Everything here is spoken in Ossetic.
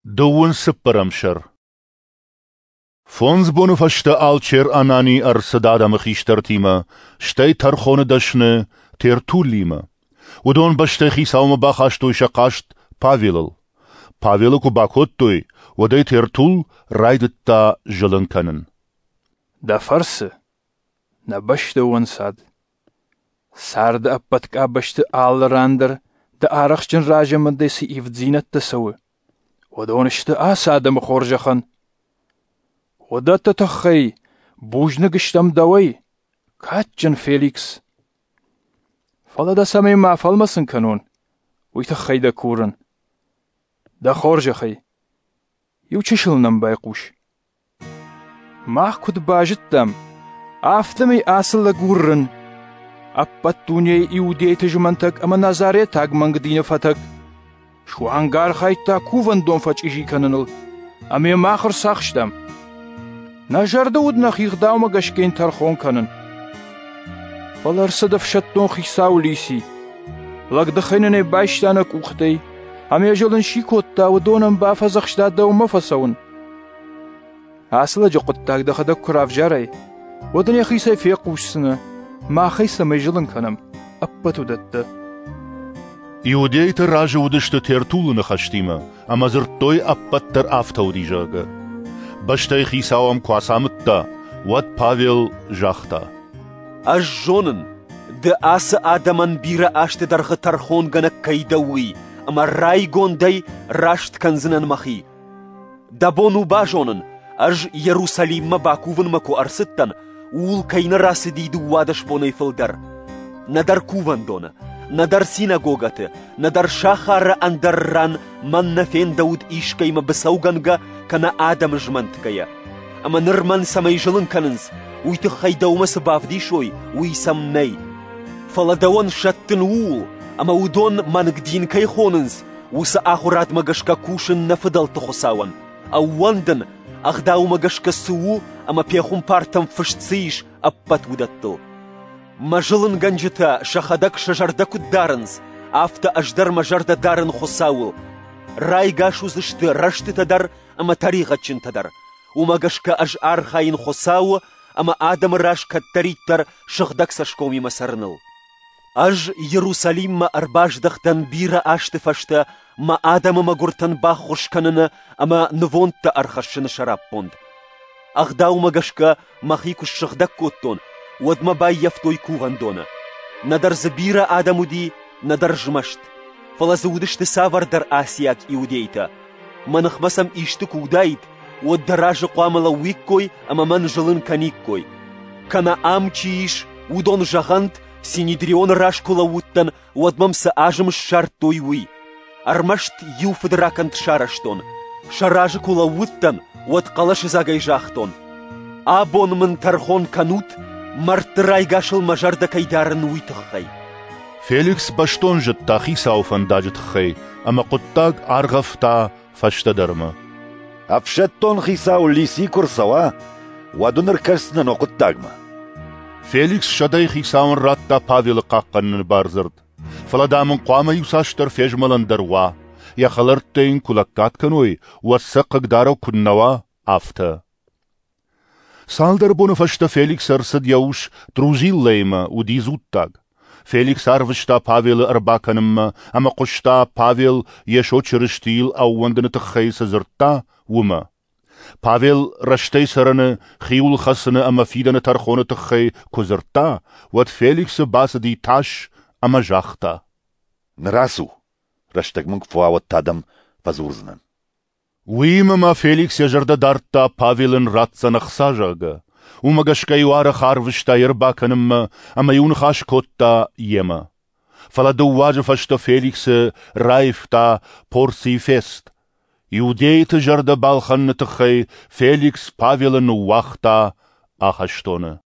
Дыууын цыппӕрӕм сӕр. Фондз боны фӕстӕ алчер Анани ӕрцыд адӕмы хистӕртимӕ, стӕй тӕрхоны дӕсны Тертуллимӕ. Уыдон бӕстӕйы хицаумӕ бахастой сӕ хъаст Павелыл. Павелы куы бакодтой, уӕд ӕй Тертулл райдыдта зылын кӕнын. Дӕ фӕрцы нӕ бӕстӕ у ӕнцад. Царды ӕппӕт къабӕзты алы ран дӕр дӕ арӕхстджын разамындӕй цы ивддзинӕдтӕ цӕуы, уыдон сты ацы адӕмы хорзӕхӕн. Уыдӕтты тыххӕй бузныг стӕм дӕуӕй, кадджын Феликс. Фӕлӕ дӕ цӕмӕй ма фӕлмӕцын кӕнон, уый тыххӕй дӕ курын. Дӕ хорзӕхӕй, иу чысыл нӕм байхъус. Мах куыд базыдтам, афтӕмӕй ацы лӕг у рын, ӕппӕт дунейы иудейты змӕнтӕг ӕмӕ назаретаг мӕнг дины фӕтӕг. Суанг архайдта кувӕндон фӕчъизи кӕныныл, ӕмӕ йӕ мах ӕрцахстам. Нӕ зӕрды уыд нӕхи гъдаумӕ гӕсгӕ йын тӕрхон кӕнын. Фӕлӕ ӕрцыд ӕфсӕддон хицау Лиси. Лӕгдыхӕй нын ӕй байста нӕ къухтӕй, ӕмӕ йӕ зылын чи кодта, уыдонӕн бафӕдзӕхста дӕумӕ фӕцӕуын. Ацы лӕджы хъуыддаг дӕхӕдӕг куы равзарай, уӕд ын йӕхицӕй фехъусдзынӕ, мах ӕй цӕмӕй зылын кӕнӕм, ӕппӕт уыдӕттӕ. Иудейтӕ разы уыдысты Тертулы ныхӕстимӕ ӕмӕ дзырдтой, ӕппӕт дӕр афтӕ уыди, зӕгъгӕ. Бӕстӕйы хицау ӕм куы ацамыдта, уӕд Павел загъта: «Ӕз зонын, ды ацы адӕмӕн бирӕ азты дӕргъы тӕрхонгӕнӕг кӕй дӕ, уый, ӕмӕ райгондӕй раст кӕндзынӕн мӕхи. Дӕ бон у базонын, ӕз Иерусалиммӕ бакувынмӕ куы ӕрцыдтӕн, ууыл кӕй нӕ рацыди 12 бонӕй фылдӕр. Нӕдӕр кувӕндоны, нӕдӕр синагогӕты, нӕдӕр сахары ӕндӕр ран мӕн нӕ фендӕуыд искӕимӕ быцӕугӕнгӕ кӕнӕ адӕмы змӕнтгӕйӕ. Ӕмӕ ныр мӕн цӕмӕй зылын кӕнынц, уый тыххӕй дӕумӕ цы бавдисой, уый сӕм нӕй. Фӕлӕ дӕуӕн сӕттын ууыл, ӕмӕ уыдон мӕнг дин кӕй хонынц, уыцы ахуырадмӕ гӕсгӕ кусын нӕ фыдӕлты Хуыцауӕн, ӕууӕндын, ӕгъдаумӕ гӕсгӕ цы у ӕмӕ пехуымпартӕм фыст цы ис, ӕппӕт уыдӕттыл. Мӕ зылынгӕнджытӕ сӕхӕдӕг сӕ зӕрдӕ куыд дарынц, афтӕ ӕз дӕр мӕ зӕрдӕ дарын Хуыцауыл. Райгас уыдзысты рӕстытӕ дӕр ӕмӕ тӕригъӕдджынтӕ дӕр. Уымӕ гӕсгӕ ӕз архайын Хуыцауы ӕмӕ адӕмы раз кӕддӕриддӕр сыгъдӕг цӕсгомимӕ цӕрыныл. Ӕз Иерусалиммӕ ӕрбаздӕхтӕн бирӕ азты фӕстӕ мӕ адӕмы мӕгуыртӕн баххуыс кӕныны ӕмӕ нывондтӕ ӕрхӕссыны сӕраппонд. Ӕгъдаумӕ гӕсгӕ мӕхи куы ссыгъдӕг кодтон, уӕд мӕ баййӕфтой кувӕндоны. Нӕдӕр дзы бирӕ адӕм уыди, нӕдӕр змӕст. Фӕлӕ дзы уыдысты цавӕрдӕр асиаг иудейтӕ. Мӕ ныхмӕ сӕм исты куы уыдаид, уӕд дӕ разы хъуамӕ лӕууиккой ӕмӕ мӕн зылын кӕниккой. Кӕнӕ ам чи ис, уыдон зӕгъӕнт, Синедрионы раз куы лӕууыдтӕн, уӕд мӕм цы азым ссардтой, уый. Ӕрмӕст иу фыдракӕнд сарӕзтон. Сӕ разы куы лӕууыдтӕн, уӕд хъӕлӕсыдзагӕй загътон: «Абон мын тӕрхон кӕнут, мӕрдты райгасыл мӕ зӕрдӕ кӕй дарын, уый тыххӕй». Феликс бӕстон зыдта хицауы фӕндаджы тыххӕй ӕмӕ хъуыддаг аргъӕвта фӕстӕдӕрмӕ. Ӕфсӕддон хицау Лиси куы рцӕуа, уӕд уын ӕркӕсдзынӕн уӕ хъуыддагмӕ. Феликс сӕдӕйы хицауӕн радта Павелы хъахъхъӕныны бардзырд. Фӕлӕ, дам ын хъуамӕ иуцасдӕр фезмӕлӕн дӕр уа, йӕ хӕлӕрттӕ йын куы лӕггад кӕной, уӕд сӕ хъыгдарӕг куыд нӕ уа, афтӕ. Цалдӕр боны фӕстӕ Феликс ӕрцыд йӕ ус Друзиллӕимӕ, уыди дзуттаг. Феликс арвыста Павелы ӕрбакӕнынмӕ ӕмӕ хъуыста, Павел Йесо Чырыстийыл ӕууӕндыны тыххӕй цы дзырдта, уымӕ. Павел рӕстӕй цӕрыны, хиуыл хӕцыны ӕмӕ фидӕны тӕрхоны тыххӕй куы дзырдта, уӕд Феликсы бацыди тас ӕмӕ загъта: «Ныр ацу, рӕстӕг мын куы фӕуа, уӕд та дӕм фӕдзурдзынӕн». Уыимӕ ма Феликс йӕ зӕрдӕ дардта, Павел ын ратдзӕн ӕхца, зӕгъгӕ. Уымӕ гӕсгӕ-иу арӕх арвыста йе рбакӕнынмӕ ӕмӕ-иу ныхас кодта йемӕ. Фӕлӕ дыууӕ азы фӕстӕ Феликсы раивта Порций Фест. Иудейты зӕрдӕ балхӕныны тыххӕй Феликс Павелы ныууагъта ахӕстоны.